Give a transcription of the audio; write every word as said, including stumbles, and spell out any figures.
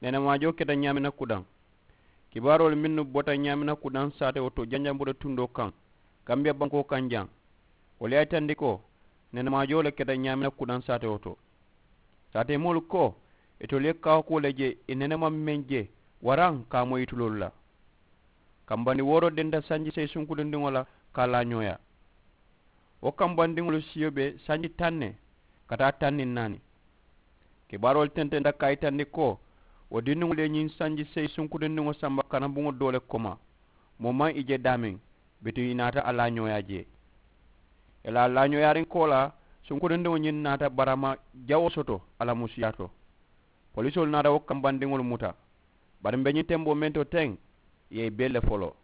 Nenemaajoo keta ñaamina kudaŋ. Kibaaroolu mennu bota ñaamina kudaŋ saatewo to janjamboto tundoo kaŋ, kambiya bankoo kaŋ jaŋ, wolu ye a yitandi ko nenemaajoo le keta ñaamina kudaŋ saatewo to. Saatemoolu ko itolu ye kaawakuwo le je i nenema meŋ je, waraŋ ka a moyi tuloolu la. Kambandi wooroo denta sanji seyi sunkutundiŋo la ka a laa ñooyaa. Wo kambandiŋolu siyo be sanji taŋ ne ka taa taŋ niŋ naani. Kibaaroolu tententa ka a yitandi ko wo dindiŋolu ye ñiŋ sanji seyi sunkutundiŋo samba kanabuŋo doo le koma, moo maŋ i je daameŋ, bituŋ i naata a laa ñooyaa jee. I la a laa ñooyaariŋ koolaa, sunkutundiŋo ñiŋ naata barama jawoo soto a la musuyaa to. Polisoolu naata wo kambandiŋolu muta, bari m̀ be ñiŋ temboo meŋ to teŋ, ì ye i bee le foloo.